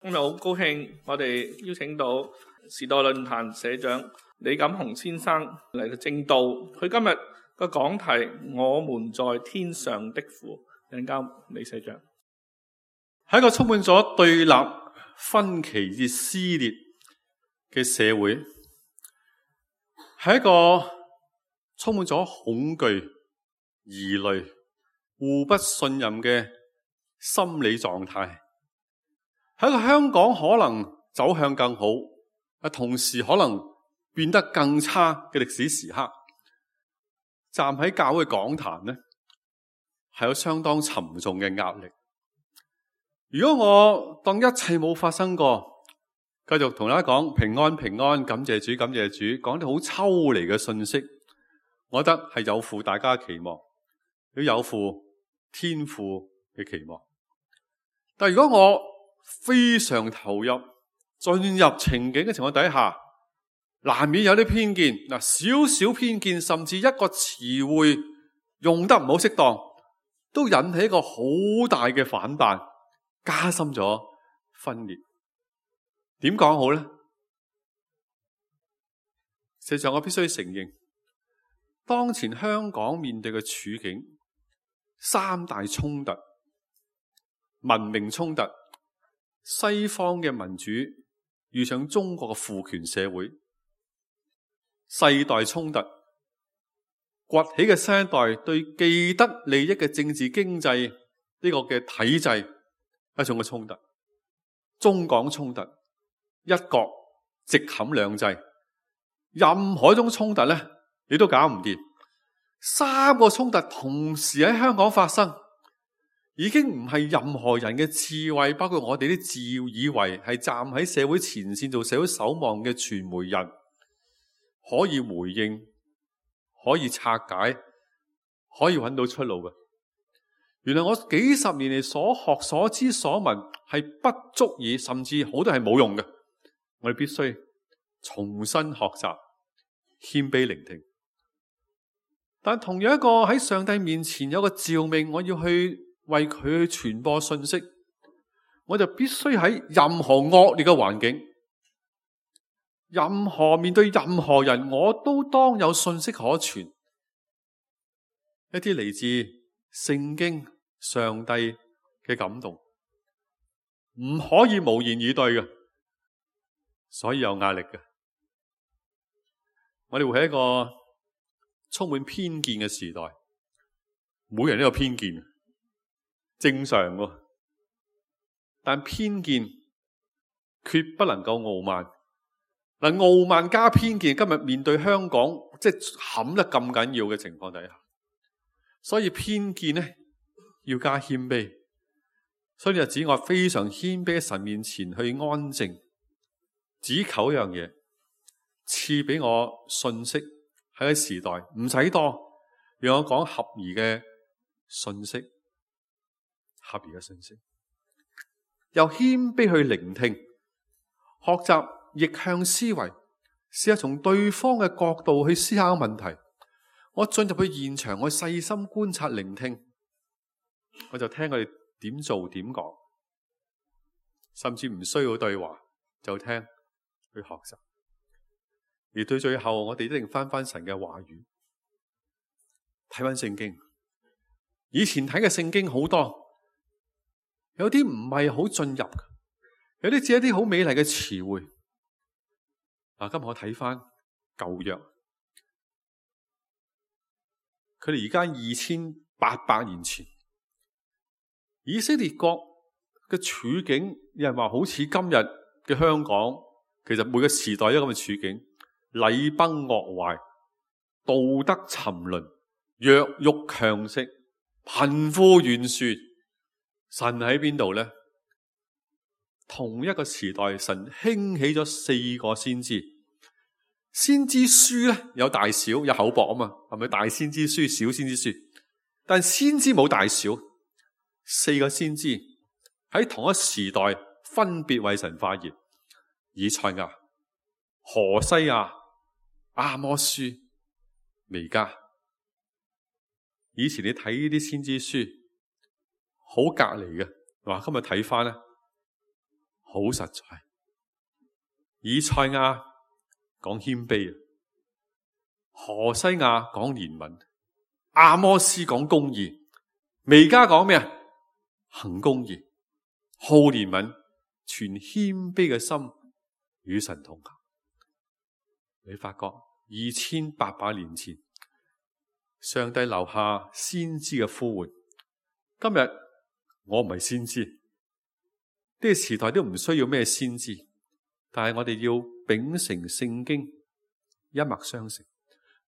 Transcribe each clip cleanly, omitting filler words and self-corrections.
今日好高興，我哋邀請到時代論壇社長李錦雄先生嚟到證道。佢今日個講題：我們在天上的父。請交李社長。喺一個充滿咗對立、分歧與撕裂嘅社會，係一個充滿咗恐懼、疑慮、互不信任嘅心理狀態。喺一個香港可能走向更好，同時可能變得更差嘅歷史時刻，站喺教會講壇呢，係有相當沉重嘅壓力。如果我當一切冇發生過，繼續同大家講平安平安，感謝主感謝主，講啲好抽離嘅信息，我覺得係有負大家嘅期望，都有負天父嘅期望。但如果我非常投入進入情景嘅情況底下，難免有啲偏見，少少偏見，甚至一個詞彙用得唔好適當，都引起一個好大嘅反彈，加深咗分裂。點講好呢？實際上我必須承認，當前香港面對嘅處境，三大衝突：文明衝突、西方嘅民主遇上中國嘅父權社會，世代衝突，崛起嘅新一代對既得利益嘅政治經濟呢個嘅體制一種嘅衝突，中港衝突，一國直冚兩制，任何一種衝突呢，你都搞唔掂。三個衝突同時喺香港發生，已經唔係任何人嘅智慧，包括我哋啲自以為係站喺社會前線做社會守望嘅傳媒人，可以回應，可以拆解，可以揾到出路嘅。原來我幾十年嚟所學所知所聞係不足以，甚至好多係冇用嘅。我哋必須重新學習，謙卑聆聽。但同樣一個喺上帝面前有個召命，我要去為佢去傳播信息，我就必須喺任何惡劣嘅環境，面對任何人，我都當有信息可傳。一啲嚟自聖經上帝嘅感動，唔可以無言以對嘅，所以有壓力嘅。我哋會喺一個充滿偏見嘅時代，每人都有偏見，正常喎。但偏見決不能夠傲慢。傲慢加偏見，今日面對香港即係冚得咁緊要嘅情況底下，所以偏見呢要加謙卑。所以就指我非常謙卑喺神面前去安靜，只求一樣嘢，賜俾我信息喺個時代，唔使多，讓我講合宜嘅信息，合宜嘅信息，又謙卑去聆聽，學習逆向思維，試下從對方嘅角度去思考問題。我進入去現場，我細心觀察聆聽，我就聽佢哋點做點講，甚至唔需要對話，就聽去學習。而到最後，我哋一定翻神嘅話語，睇翻聖經。以前睇嘅聖經好多，有啲唔係好進入，有啲只係一啲好美麗嘅詞彙。今日我睇翻舊約，佢哋而家2800年前，以色列國嘅處境，有人話好似今日嘅香港，其實每個時代都有咁嘅處境，禮崩樂壞，道德沉淪，弱肉強食，貧富懸殊。神喺邊度呢？同一個時代，神興起咗4個先知。先知書咧有大小，有厚薄啊嘛，係咪？大先知書、小先知書，但先知冇大小。4個先知喺同一時代分別為神發言：以賽亞、何西亞、阿摩司、彌迦。以前你睇呢啲先知書好隔離嘅，今日睇翻咧，好實在。以賽亞講謙卑，何西亞講憐憫，阿摩斯講公義，彌迦講咩啊？行公義，好憐憫，存謙卑嘅心，與神同行。你發覺2800年前，上帝留下先知嘅呼喚。今日我唔係先知，呢個時代都唔需要咩先知，但係我哋要秉承聖經，一脈相承，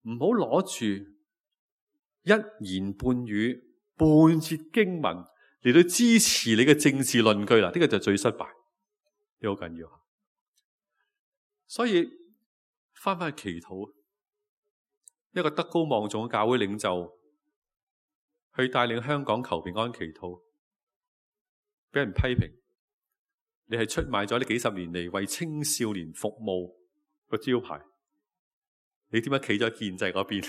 唔好攞住一言半語、半節經文嚟到支持你嘅政治論據啦。呢個就最失敗，呢好緊要。所以翻去祈禱，一個德高望重嘅教會領袖去帶領香港求平安祈禱，俾人批評，你係出賣咗呢幾十年嚟為青少年服務個招牌，你點解企咗建制嗰邊？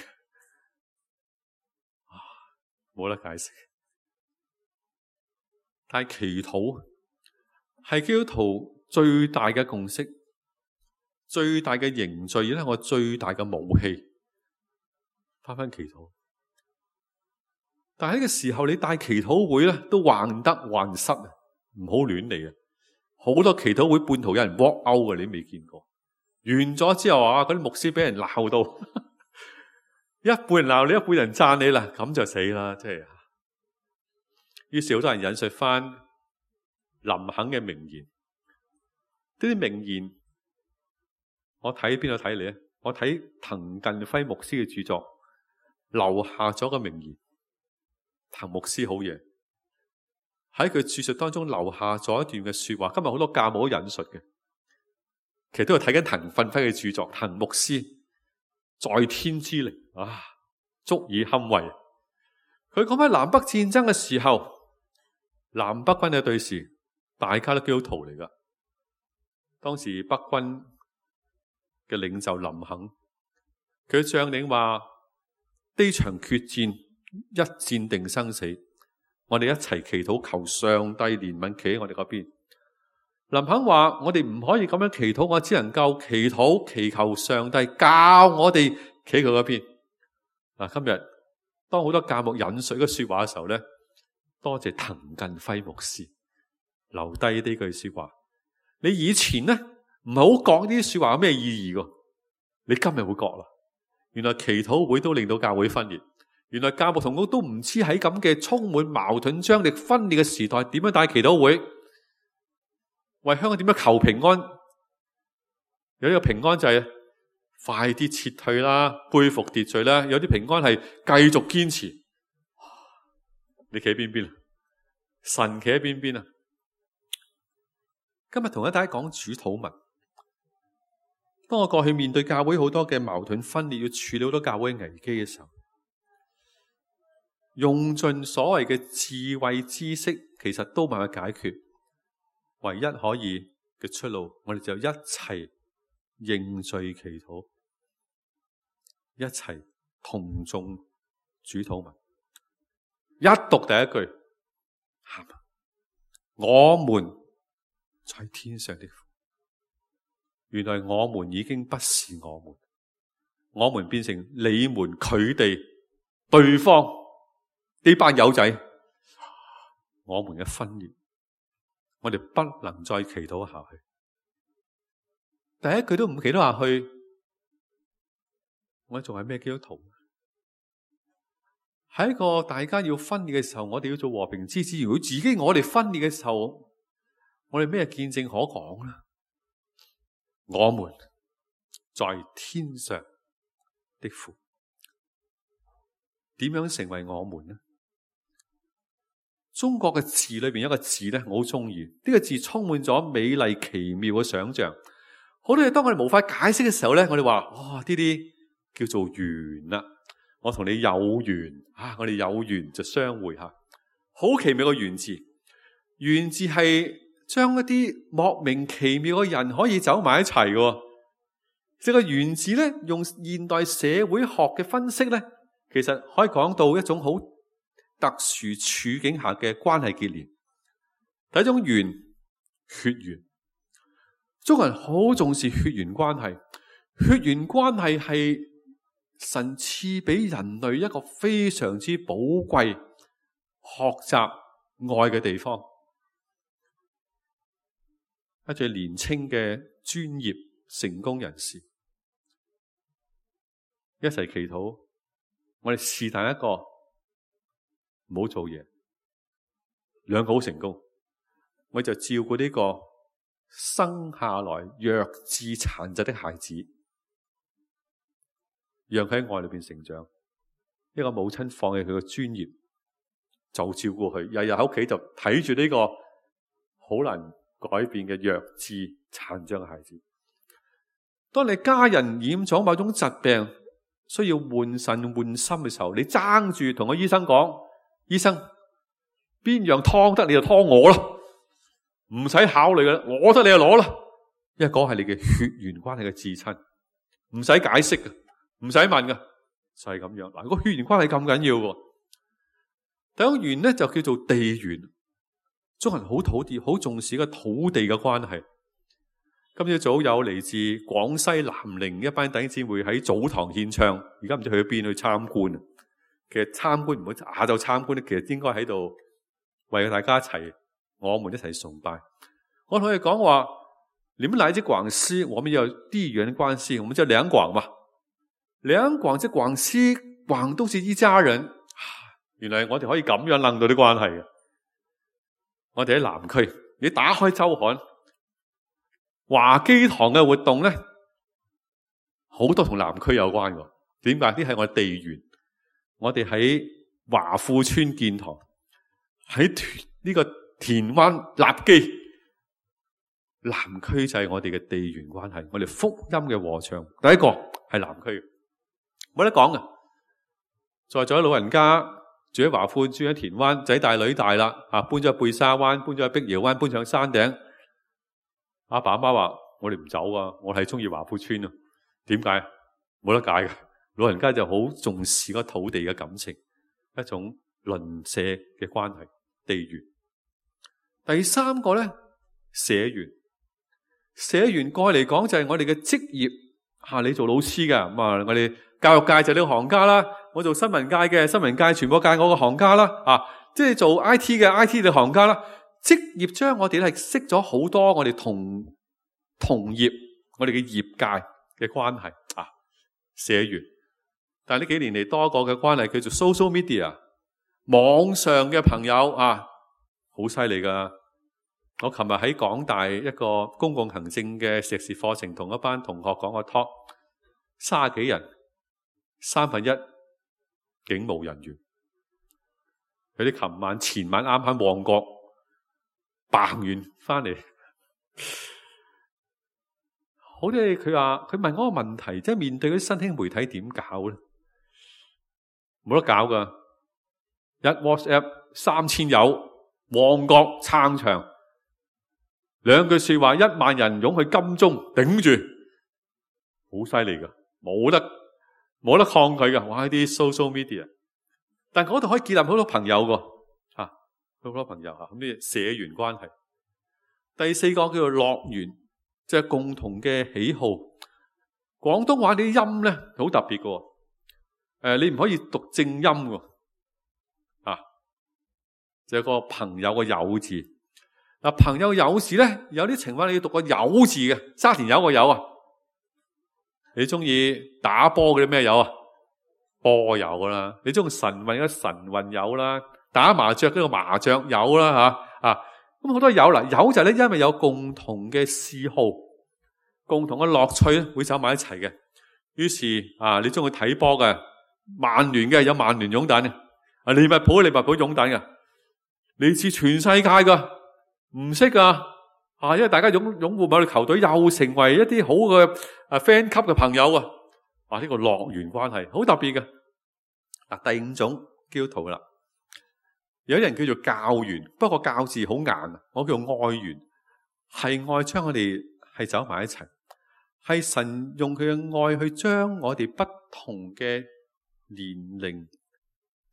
冇得解釋。但係祈禱係基督徒最大嘅共識，最大嘅凝聚，亦係我最大嘅武器。翻祈禱，但係呢個時候你帶祈禱會咧，都患得患失啊！唔好亂嚟啊！好多祈禱會半途有人 walk out 嘅，你未見過。完咗之後啊，嗰啲牧師俾人鬧到，一半人鬧你，一半人讚你啦，咁就死啦！即係。於是好多人引述翻林肯嘅名言，呢啲名言我睇邊度睇嚟？我睇滕近輝牧師嘅著作。留下咗個名言，滕牧師好嘢，喺佢著述當中留下咗一段嘅說話。今日好多教母都引述嘅，其實都係睇緊滕近輝嘅著作。滕牧師在天之靈啊，足以堪為。佢講喺南北戰爭嘅時候，南北軍嘅對峙，大家都基督徒嚟噶。當時北軍嘅領袖林肯，佢將領話：呢場決戰一戰定生死，我哋一齊祈禱，求上帝憐憫，企喺我哋嗰邊。林肯話：我哋唔可以咁樣祈禱，我只能夠祈禱，祈求上帝教我哋企佢嗰邊。嗱，今日當好多教牧引述嘅說話嘅時候咧，多謝滕近輝牧師留低呢句說話。你以前咧唔係好講呢啲說話有咩意義噶，你今日會覺啦。原來祈禱會都令到教會分裂，原來教牧同工都唔知喺咁嘅充滿矛盾、張力、分裂嘅時代，點樣帶祈禱會，為香港點樣求平安？有呢個平安就係快啲撤退啦，恢復秩序啦。有啲平安係繼續堅持。你企喺邊邊啊？神企喺邊邊啊？今日同大家講主禱文。當我過去面對教會好多嘅矛盾分裂，要處理好多教會危機嘅時候，用盡所謂嘅智慧知識，其實都冇辦法解決。唯一可以嘅出路，我哋就一齊認罪祈禱，一齊同誦主禱文。一讀第一句，喊：我們在天上的父。原來我們已經不是我們變成你們、佢哋、對方呢班友仔，我們嘅分裂，我哋不能再祈禱下去。第一句都唔祈禱下去，我仲係咩基督徒？喺一個大家要分裂嘅時候，我哋要做和平之子。如果自己我哋分裂嘅時候，我哋咩見證可講呢？我們在天上的父，點樣成為我們呢？中國嘅字裏邊有一個字咧，我好中意。呢個字充滿咗美麗奇妙嘅想象。好多嘢當我哋無法解釋嘅時候咧，我哋話：哇，呢啲叫做緣啦。我同你有緣啊，我哋有緣就相會吓。好奇妙嘅緣字，緣字係將一啲莫名其妙嘅人可以走埋一齊嘅。即係個緣字咧，用現代社會學嘅分析咧，其實可以講到一種好特殊處境下嘅關係結連。第一種緣，血緣，中國人好重視血緣關係，血緣關係係神賜俾人類一個非常之寶貴學習愛嘅地方。一最年青嘅專業成功人士一齊祈禱，我哋是但一個唔好做嘢，兩個好成功，我就照顧呢個生下來弱智殘疾的孩子，讓佢喺愛裏邊成長。一個母親放棄佢嘅專業，就照顧佢，日日喺屋企就睇住呢個好難改變嘅弱智殘障嘅孩子。當你家人染咗某種疾病，需要換腎換心嘅時候，你爭住同個醫生講：醫生，邊樣湯得你就湯我啦，唔使考慮嘅，我得你就攞啦。因為嗰係你嘅血緣關係嘅至親，唔使解釋嘅，唔使問嘅，就係咁樣。嗱，個血緣關係咁緊要嘅。第一個緣咧就叫做地緣，中國人好土地，好重視個土地嘅關係。今朝早有嚟自廣西南寧一班弟兄姊妹喺早堂獻唱，而家唔知去咗邊去參觀。其實參觀唔好下晝參觀咧，其實應該喺度為大家一齊，我們一齊崇拜。我同佢講話，你們來自廣西，我們有地緣關係，我們叫兩廣嘛。兩廣即廣西，廣都是一家人。原來我哋可以咁樣諗到啲關係嘅。我哋喺南區，你打開周刊，華基堂嘅活動咧，好多同南區有關嘅。點解？呢係我哋地緣。我哋喺華富村建堂，喺呢個田灣立基，南區就係我哋嘅地緣關係。我哋福音嘅禾場，第一個係南區，冇得講嘅。在座老人家住喺華富，住喺田灣，仔大女大啦，搬咗去貝沙灣，搬咗去碧瑤灣，搬上山頂。阿爸阿媽話：我哋唔走啊，我係中意華富村啊。點解？冇得解嘅。老人家就好重視嗰土地嘅感情，一種鄰舍嘅關係，地緣。第三個咧，社緣。社緣過嚟講就係我哋嘅職業。你做老師嘅，咁我哋教育界就係你個行家啦。我做新聞界嘅，新聞界傳播界我個行家啦。即係做 IT 嘅 IT 嘅行家啦。職業將我哋係識咗好多我哋同業，我哋嘅業界嘅關係社緣。但係呢幾年嚟多個嘅關係叫做 social media， 網上嘅朋友好犀利噶。我琴日喺港大一個公共行政嘅碩士課程，同一班同學講個 talk， 30幾人，1/3警務人員。佢哋前晚啱喺旺角辦完翻嚟，好啲佢話佢問我個問題，即係面對嗰啲新興媒體點搞咧？冇得搞噶，一 WhatsApp 3000友，旺角撐場，2句說話1萬人湧去金鐘頂住，好犀利噶，冇得抗拒噶。哇！呢啲 social media， 但嗰度可以建立好多朋友噶，好多朋友咁啲社緣關係。第四個叫做樂緣，即係共同嘅喜好。廣東話啲音咧好特別噶。你唔可以讀正音喎，就有個朋友個友字。朋友友字咧，有啲情況你要讀個友字嘅，沙田有個友啊。你中意打波嗰啲咩友啊？波友啦。你中意晨運嘅晨運友啦，打麻雀嗰個麻雀友啦咁好多友啦。友就係咧，因為有共同嘅嗜好、共同嘅樂趣咧，會走埋一齊嘅。於是你中意睇波嘅。曼聯嘅有曼聯擁躉嘅，利物浦擁躉嘅，嚟自全世界噶，唔識噶因為大家擁護某隊球隊，又成為一啲好嘅fan 級嘅朋友啊！呢個樂緣關係好特別嘅。第5種基督徒啦，有啲人叫做教緣，不過教字好硬，我叫愛緣，係愛將我哋係走埋一齊，係神用佢嘅愛去將我哋不同嘅年齡、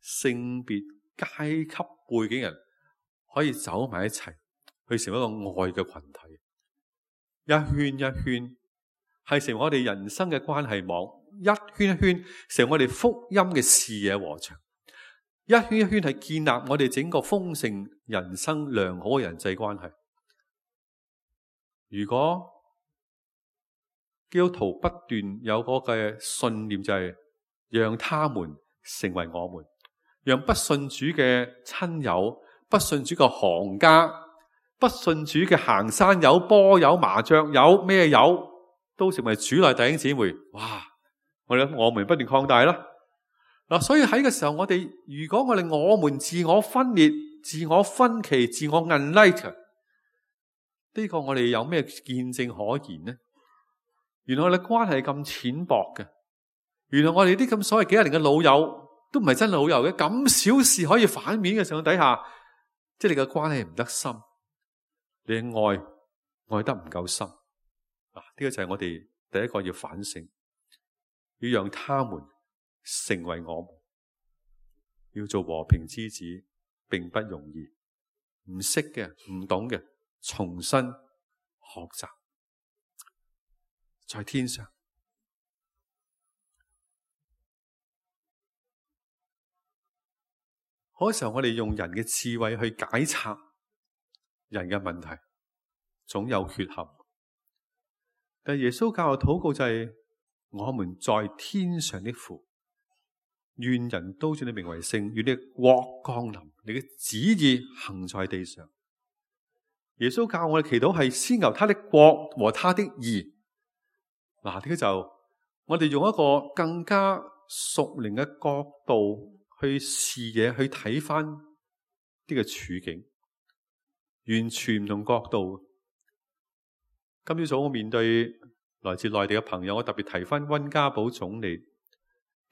性別、階級、背景人可以走埋一齊，去成為一個愛嘅群體。一圈一圈，係成為我哋人生嘅關係網，一圈一圈成為我哋福音嘅視野禾場，一圈一圈係建立我哋整個豐盛人生良好嘅人際關係。如果基督徒不斷有嗰個信念，就係讓他們成為我們，讓不信主嘅親友、不信主嘅行家、不信主嘅行山友、波友、麻雀友咩友，都成為主內弟兄姊妹。哇！我們不斷擴大啦。嗱，所以喺個時候，如果我們自我分裂、自我分歧、自我 unlike， 呢個我哋有咩見證可言呢？原來我哋關係咁淺薄嘅，原來我哋啲咁所謂幾十年嘅老友都唔係真老友嘅，咁小事可以反面嘅情況底下，即係你嘅關係唔得深，你嘅愛得唔夠深。呢個就係我哋第一個要反省，要讓他們成為我們，要做和平之子並不容易，唔識嘅、唔懂嘅，重新學習。在天上，好多時候我哋用人嘅智慧去解拆人嘅問題，總有缺陷。但耶穌教嘅禱告就係：我們在天上的父，願人都尊你名為聖，願你嘅國降臨，你嘅旨意行在地上。耶穌教我哋祈禱係先求他的國和他的義。呢個就我哋用一個更加屬靈嘅角度去視野，去睇翻呢個處境，完全唔同角度。今朝早我面對來自內地嘅朋友，我特別提翻溫家寶總理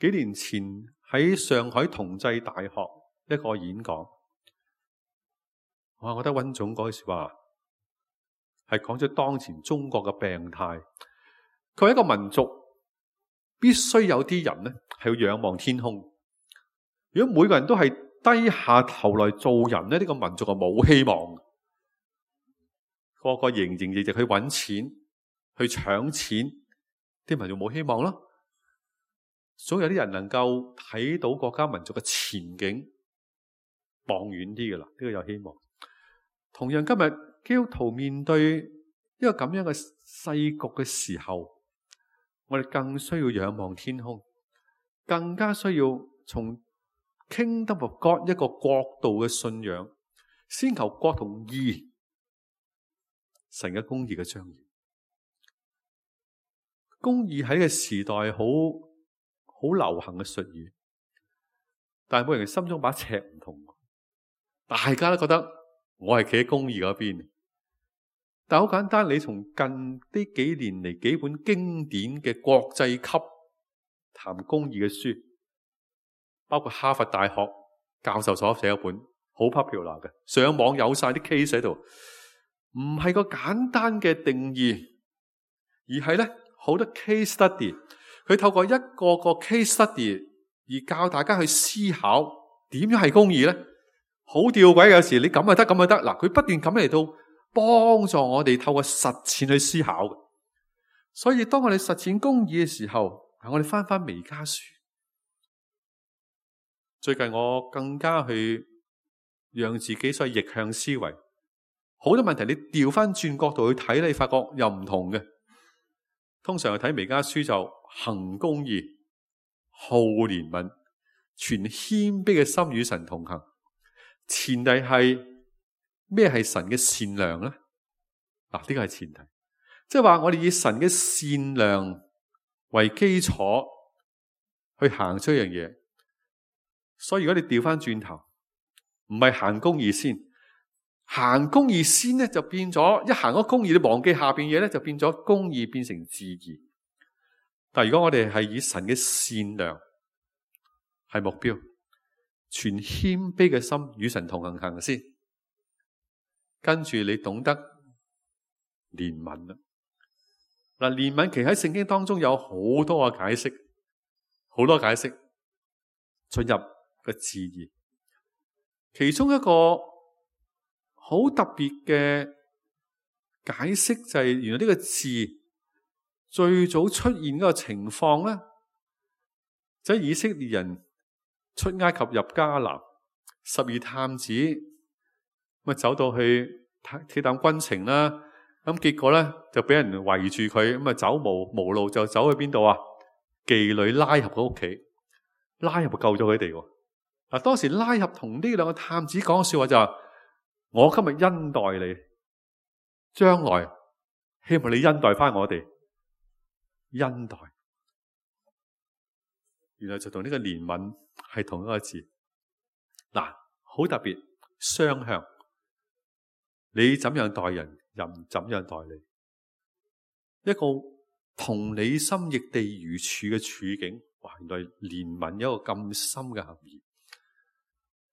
幾年前喺上海同濟大學一個演講，我覺得溫總嗰句說話係講咗當前中國嘅病態。佢係一個民族，必須有啲人咧係要仰望天空。如果每個人都係低下頭來做人咧，呢個民族就冇希望。個個營營役役去揾錢、去搶錢，啲民族冇希望咯。總有啲人能夠睇到國家民族嘅前景，望遠啲㗎啦，呢個有希望。同樣今日基督徒面對一個咁樣嘅世局嘅時候，我哋更需要仰望天空，更加需要從 Kingdom of God 一個國度嘅信仰，先求國同義，神嘅公義嘅彰顯。公義喺呢個時代好流行嘅術語，但係每人心中把尺唔同，大家都覺得我係企喺公義嗰邊。但好簡單，你從近呢幾年嚟幾本經典嘅國際級談公義嘅書，包括哈佛大學教授所寫一本好 popular 嘅，上網有晒啲 case 喺度，唔係個簡單嘅定義，而係咧好多 case study， 佢透過一個個 case study 而教大家去思考點樣係公義咧，好吊詭。有時你咁就得，咁就得，嗱，佢不斷咁嚟到幫助我哋透過實踐去思考嘅。所以當我哋實踐公義嘅時候，我哋翻彌迦書。最近我更加去讓自己所謂逆向思維，好多問題你調翻轉角度去睇，你發覺又唔同嘅。通常去睇彌迦書就行公義、好憐憫、存謙卑嘅心與神同行。前提係咩係神嘅善良咧？呢個係前提，即係話我哋以神嘅善良為基礎去行出一樣嘢。所以如果你調翻轉頭，唔係行公義先，行公義先咧，就變咗一行嗰公義，你忘記下邊嘢咧，就變咗公義變成自義。但係如果我哋係以神嘅善良係目標，存謙卑嘅心與神同行先，跟住你懂得憐憫啦。嗱，憐憫其實喺聖經當中有好多嘅解釋，好多解釋進入個字義。其中一個好特別嘅解釋就係原來呢個字最早出現嗰個情況咧，就係以色列人出埃及入迦南，12探子咁走到去鐵膽軍情啦，咁結果咧就俾人圍住佢，咁走無路就走去邊度啊？妓女拉合嘅屋企，拉合救咗佢哋喎。嗱，當時拉合同呢兩個探子講嘅說話就話：我今日恩待你，將來希望你恩待翻我哋。恩待，原來就同呢個憐憫係同一個字。嗱，好特別，雙向。你怎樣待人，人怎樣待你。一個同理心亦地如處嘅處境，哇！原來憐憫有一個咁深嘅含義。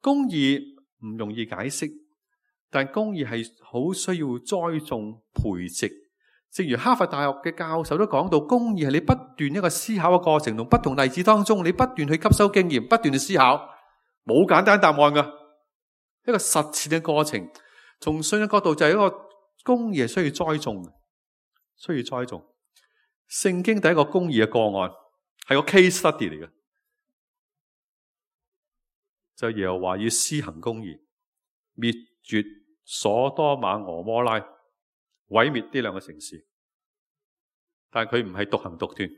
公義唔容易解釋，但公義係好需要栽種培植。正如哈佛大學嘅教授都講到，公義係你不斷一個思考嘅過程，同不同例子當中，你不斷去吸收經驗，不斷去思考，冇簡單答案㗎，一個實踐嘅過程。從信仰角度就係一個公義係需要栽種，需要栽種。聖經第一個公義嘅個案係個 case study 嚟嘅，就耶和華要施行公義，滅絕所多瑪俄摩拉，毀滅呢兩個城市。但係佢唔係獨行獨斷，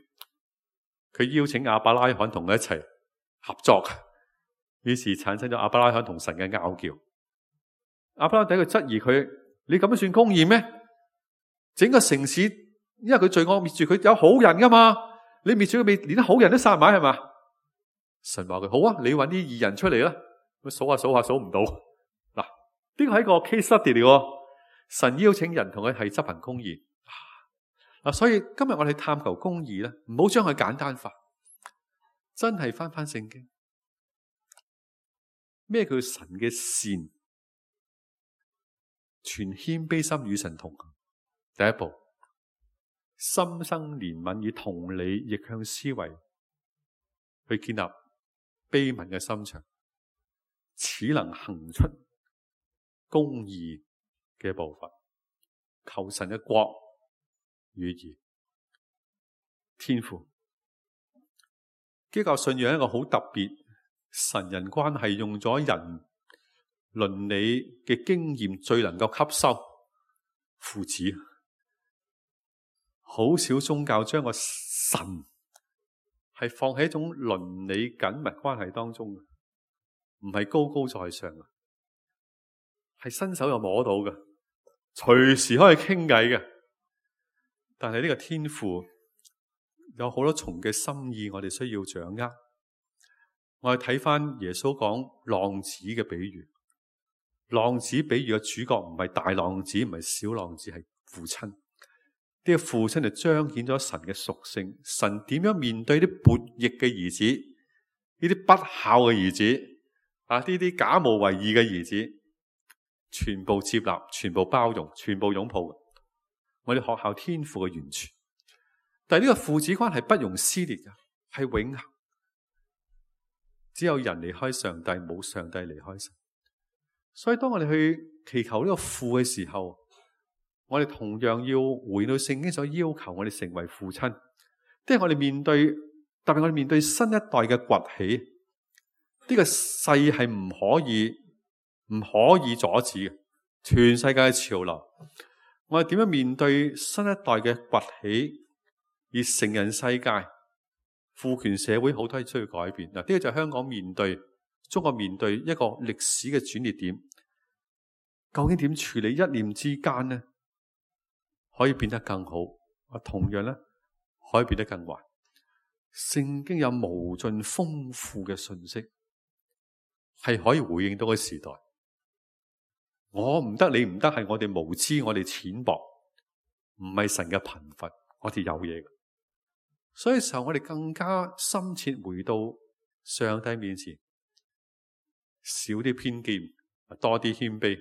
佢邀請亞伯拉罕同佢一齊合作，於是產生咗亞伯拉罕同神嘅拗撬。亞伯拉罕第一個質疑佢：你咁樣算公義咩？整個城市因為佢罪惡滅絕，佢有好人噶嘛？你滅絕佢，連啲好人都殺埋係嘛？神話佢：好啊，你揾啲義人出嚟啦。咁數下數下數唔到。嗱，呢個係一個 case study 嚟喎。神邀請人同佢係執行公義。嗱，所以今日我哋探求公義咧，唔好將佢簡單化，真係翻聖經。咩叫神嘅善？全謙卑心與神同行。第一步，心生憐憫，以同理逆向思維去建立悲憫嘅心腸，此能行出公義嘅步伐，求神嘅國與義。天父，基督教信仰一個好特別神人關係，用咗人倫理嘅經驗最能夠吸收父子。好少宗教將個神係放喺一種倫理緊密關係當中，唔係高高在上嘅，係伸手又摸到嘅，隨時可以傾偈嘅。但係呢個天父有好多重嘅心意，我哋需要掌握。我哋睇翻耶穌講浪子嘅比喻，浪子比喻嘅主角唔係大浪子，唔係小浪子，係父親。呢個父親就彰顯咗神嘅屬性，神點樣面對啲悖逆嘅兒子，呢啲不孝嘅兒子啊，呢啲假冒為義嘅兒子，全部接納，全部包容，全部擁抱。我哋學校天父嘅完全，但係呢個父子關係不容撕裂嘅，係永恆。只有人離開上帝，冇上帝離開神。所以當我哋去祈求呢個父嘅時候，我哋同樣要回到聖經所要求我哋成為父親，即係我哋面對，特別我哋面對新一代嘅崛起，呢個勢係唔可以阻止嘅，全世界嘅潮流。我哋點樣面對新一代嘅崛起，而成人世界、父權社會好多嘢需要改變。嗱，呢個就係香港面對、中國面對一個歷史嘅轉捩點。究竟點處理？一念之間呢，可以變得更好，同樣咧可以變得更壞。聖經有無盡豐富嘅信息，係可以回應到個時代。我唔得，你唔得，係我哋無知，我哋淺薄，唔係神嘅貧乏，我哋有嘢。所以時候我哋更加深切回到上帝面前，少啲偏見，多啲謙卑。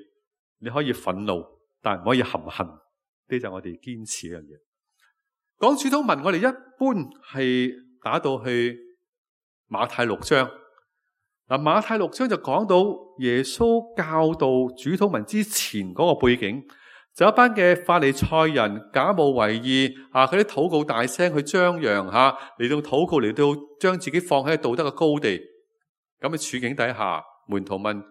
你可以憤怒，但唔可以含恨。呢就係我哋堅持一樣嘢。講主禱文，我哋一般係打到去馬太6章。嗱，馬太6章就講到耶穌教導主禱文之前嗰個背景，就一班嘅法利賽人假冒為義啊，佢啲禱告大聲去張揚吓，嚟到禱告，嚟到將自己放喺道德嘅高地。咁嘅處境底下，門徒問：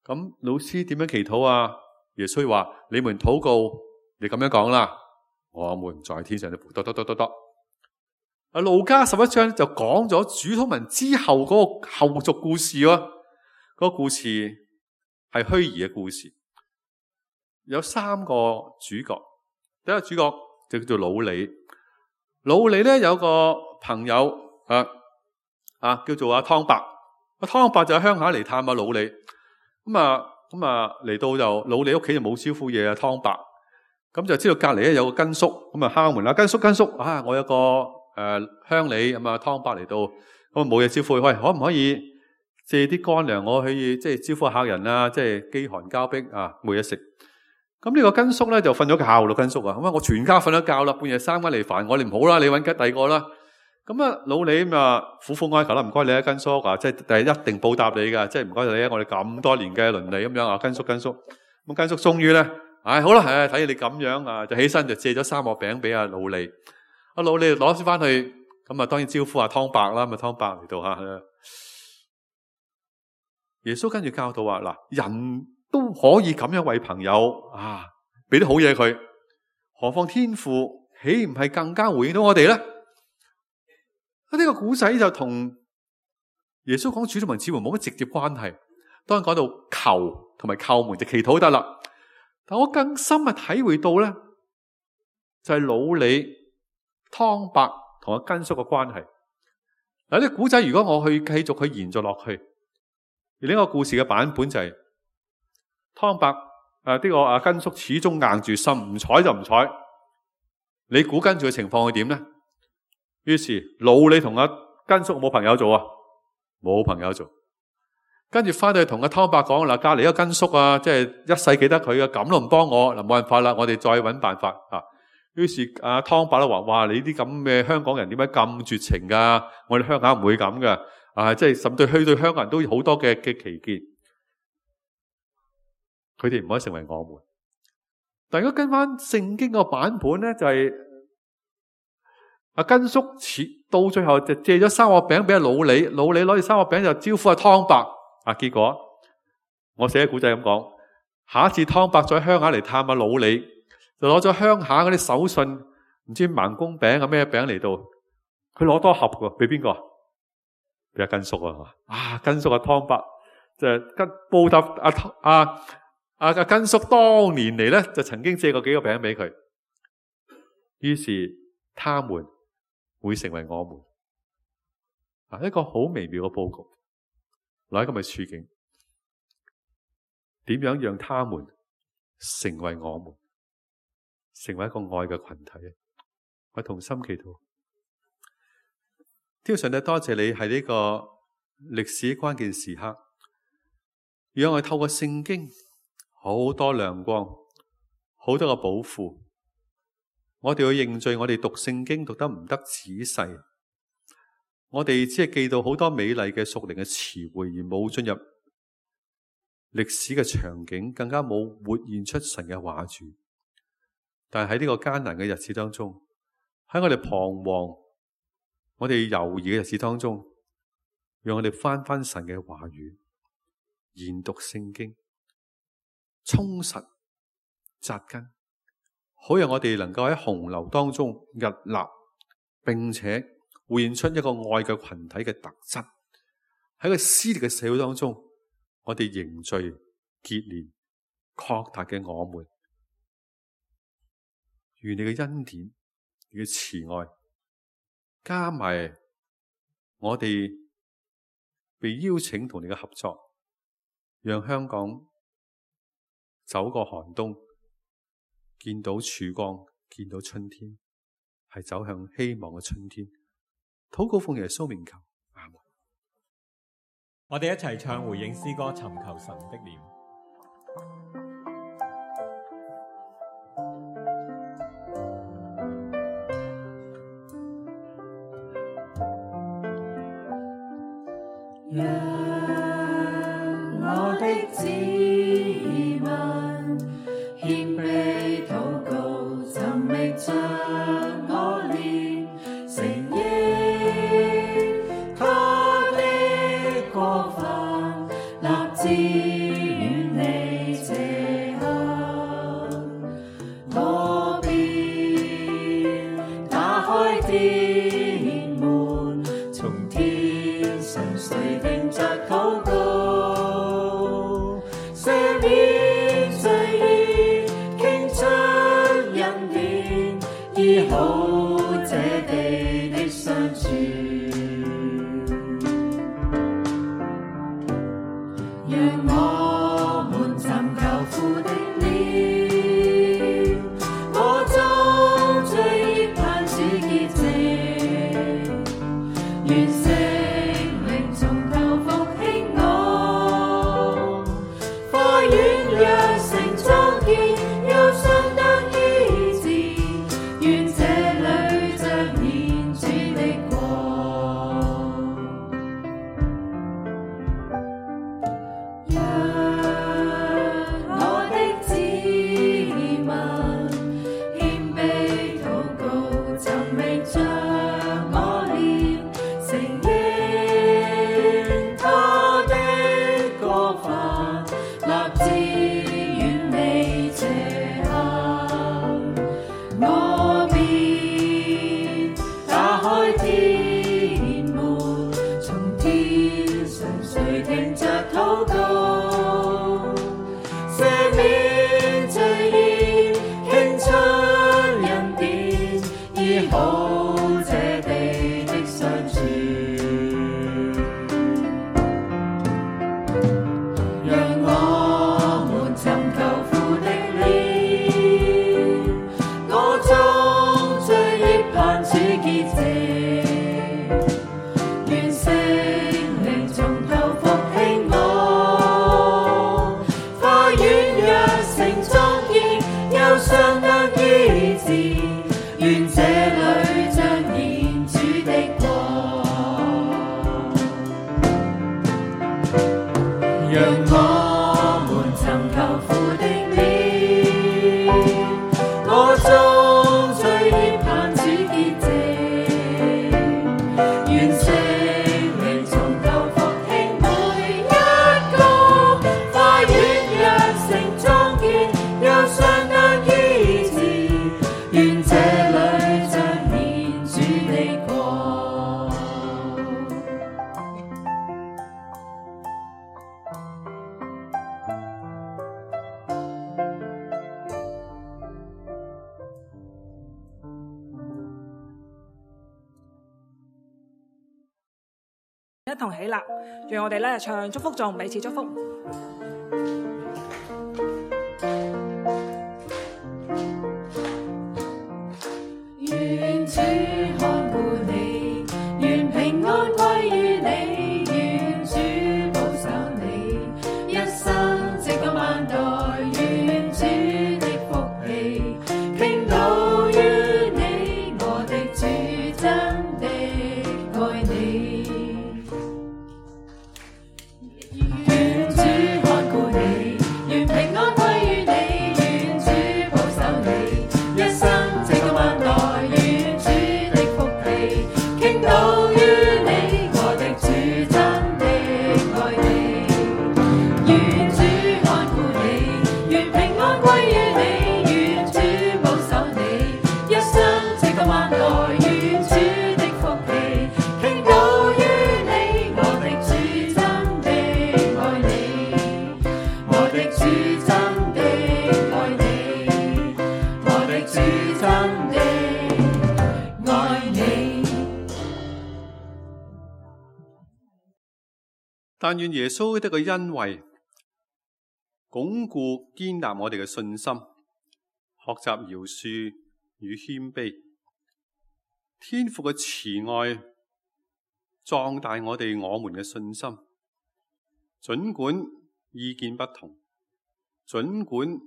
咁老師點樣祈禱啊？耶穌話：你們禱告，你咁樣講啦，我們在天上的父。路加11章就講咗主禱文之後嗰個後續故事喎。嗰個故事係虛擬嘅故事，有3個主角。第一個主角就叫做老李。老李咧有個朋友叫做阿湯伯。阿湯伯就喺鄉下嚟探阿老李。咁嚟到就老李屋企就冇招呼嘢啊。湯伯咁就知道隔籬咧有個根叔，咁啊敲門啦。根叔啊，我有個鄉里咁啊。湯伯嚟到咁冇嘢招呼，喂，可唔可以借啲乾糧我去即係招呼客人啊？即係飢寒交迫啊，冇嘢食。咁呢個根叔咧就瞓咗覺咯。根叔啊，咁我全家瞓咗覺啦，半夜3更嚟煩我，你唔好啦，你搵第二個啦。咁老李咁啊苦苦哀求啦，唔該你啊，根叔啊，即係一定報答你噶，即係唔該你啊，我哋咁多年嘅鄰里咁樣啊，根叔。咁根叔終於咧，好啦，睇你咁樣啊，就起身就借咗3個餅俾阿老李。阿老李攞翻去，咁啊當然招呼阿湯伯啦。咁啊湯伯嚟到吓，耶穌跟住教導話：嗱，人都可以咁樣為朋友啊，俾啲好嘢佢，何況天父豈唔係更加回應到我哋咧？呢個古仔就同耶穌講主禱文似乎冇乜直接關係。當然講到求同埋叩門就祈禱得啦。但我更深嘅體會到咧，就係老李、湯伯同阿根叔嘅關係。嗱，呢個古仔如果我去繼續去延續落去，而呢個故事嘅版本就係湯伯呢個阿根叔始終硬住心，唔睬就唔睬。你估跟住嘅情況係點咧？於是老李同阿根叔冇朋友做啊，冇朋友做。跟住翻去同阿湯伯講嗱，隔籬一個根叔啊，即係一世記得佢啊，咁都唔幫我嗱，冇辦法啦，我哋再搵辦法啊。於是阿湯伯都話：哇，你啲咁嘅香港人點解咁絕情噶？我哋鄉下唔會咁噶啊！即係甚至去到香港人都有好多嘅歧見，佢哋唔可以成為我們。但如果跟翻聖經個版本咧，就係阿根叔到最後就借咗3個餅俾阿老李，老李攞住3個餅就招呼阿湯伯啊。結果我寫嘅古仔咁講，下一次湯伯再喺鄉下嚟探阿老李，就攞咗鄉下嗰啲手信，唔知盲公餅啊咩餅嚟到，佢攞多盒嘅，俾邊個？俾阿根叔啊！根叔阿湯伯就報答阿根叔當年嚟咧，就曾經借過幾個餅俾佢，於是他們會成為我們。一個好微妙嘅佈局，來一個咁嘅處境，點樣讓他們成為我們，成為一個愛嘅群體？我同心祈禱，天父上帝，多謝你喺呢個歷史關鍵時刻，讓我哋透過聖經好多亮光，好多個寶庫。我哋要認罪，我哋讀聖經讀得唔得仔細，我哋只係記到好多美麗嘅屬靈嘅詞彙，而冇進入歷史嘅場景，更加冇活現出神嘅話語。但係喺呢個艱難嘅日子當中，喺我哋彷徨、我哋猶豫嘅日子當中，讓我哋翻神嘅話語，研讀聖經，充實扎根，好讓我哋能夠喺洪流當中屹立，並且活現出一個愛嘅群體嘅特質。喺個撕裂嘅社會當中，我哋凝聚結連擴大嘅我們。願你嘅恩典、你嘅慈愛，加埋我哋被邀請同你嘅合作，讓香港走過寒冬，見到曙光，見到春天，係走向希望嘅春天。禱告奉耶穌名求，阿們。我哋一齊唱回應詩歌，尋求神的臉。讓我的子民獻天門，從天上垂聽着禱告，赦免罪孽，傾出恩典，醫好這地的傷處。讓我們尋求父的臉，我中罪孽盼主潔淨，願聖靈從頭復興我，花園若成莊建，憂傷得醫治，願這裏彰顯主的國。讓我的子民謙卑禱告，尋覓着我臉，承認他的過犯，立志遠離邪行，我便打開天門，從天上垂聽着禱告，赦免罪孽，傾出恩典，醫好這地的傷處。讓我們尋求父的臉，我中罪孽盼主潔淨，願聖靈從頭復興我，花園若成莊建，憂傷得醫治，願這裏彰顯主的國。讓我們尋求父的臉，我中罪孽盼主潔淨，願聖靈從頭復興每一個，花園若成莊建，憂傷得醫治，願這裏彰顯主的國。一同起立，讓我哋咧唱祝福頌，彼此祝福。願主看顧你，願平安歸於你，願主保守你，一生直到萬代，願主的福氣傾倒於你，我的主真的愛你。願主看顧你，願平安歸於你，願主保守你，一生直到萬代，願主的福氣傾倒於你，我的主真的愛你。願主看顧你，願平安歸於你，願主保守你，一生直到萬代，願主的福氣傾倒於你，我的主真的愛你，我的主真的愛你，我的主真的愛你。但願耶穌的個恩惠鞏固堅立我哋嘅信心，學習饒恕與謙卑，天父嘅慈愛壯大我們嘅信心。儘管意見不同，儘管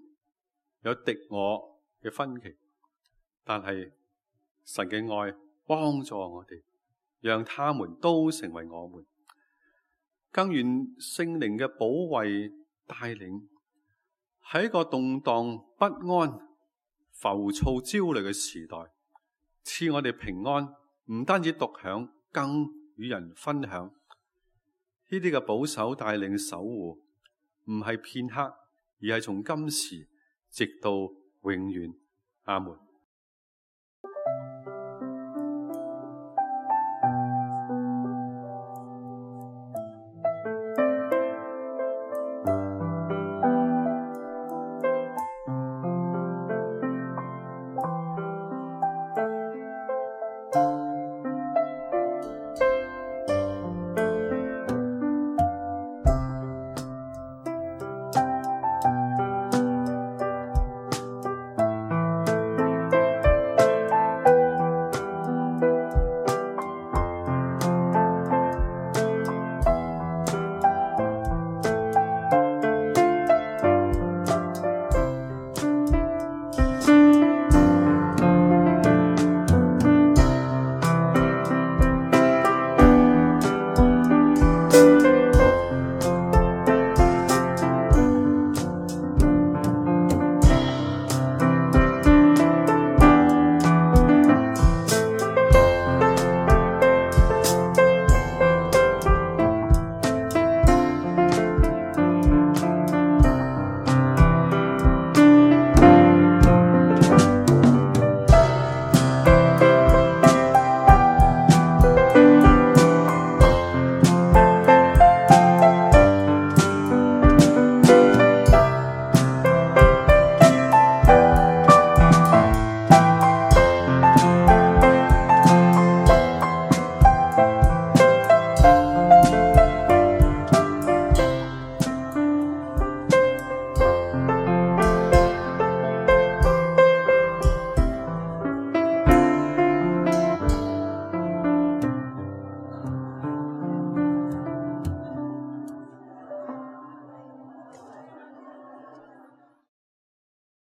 有敵我嘅分歧，但係神嘅愛幫助我哋，讓他們都成為我們。更願聖靈嘅保衛帶領，喺一個動盪不安、浮躁焦慮嘅時代，賜我哋平安，唔單止獨享，更與人分享。呢啲嘅保守帶領守護，唔係片刻，而係從今時直到永遠。阿門。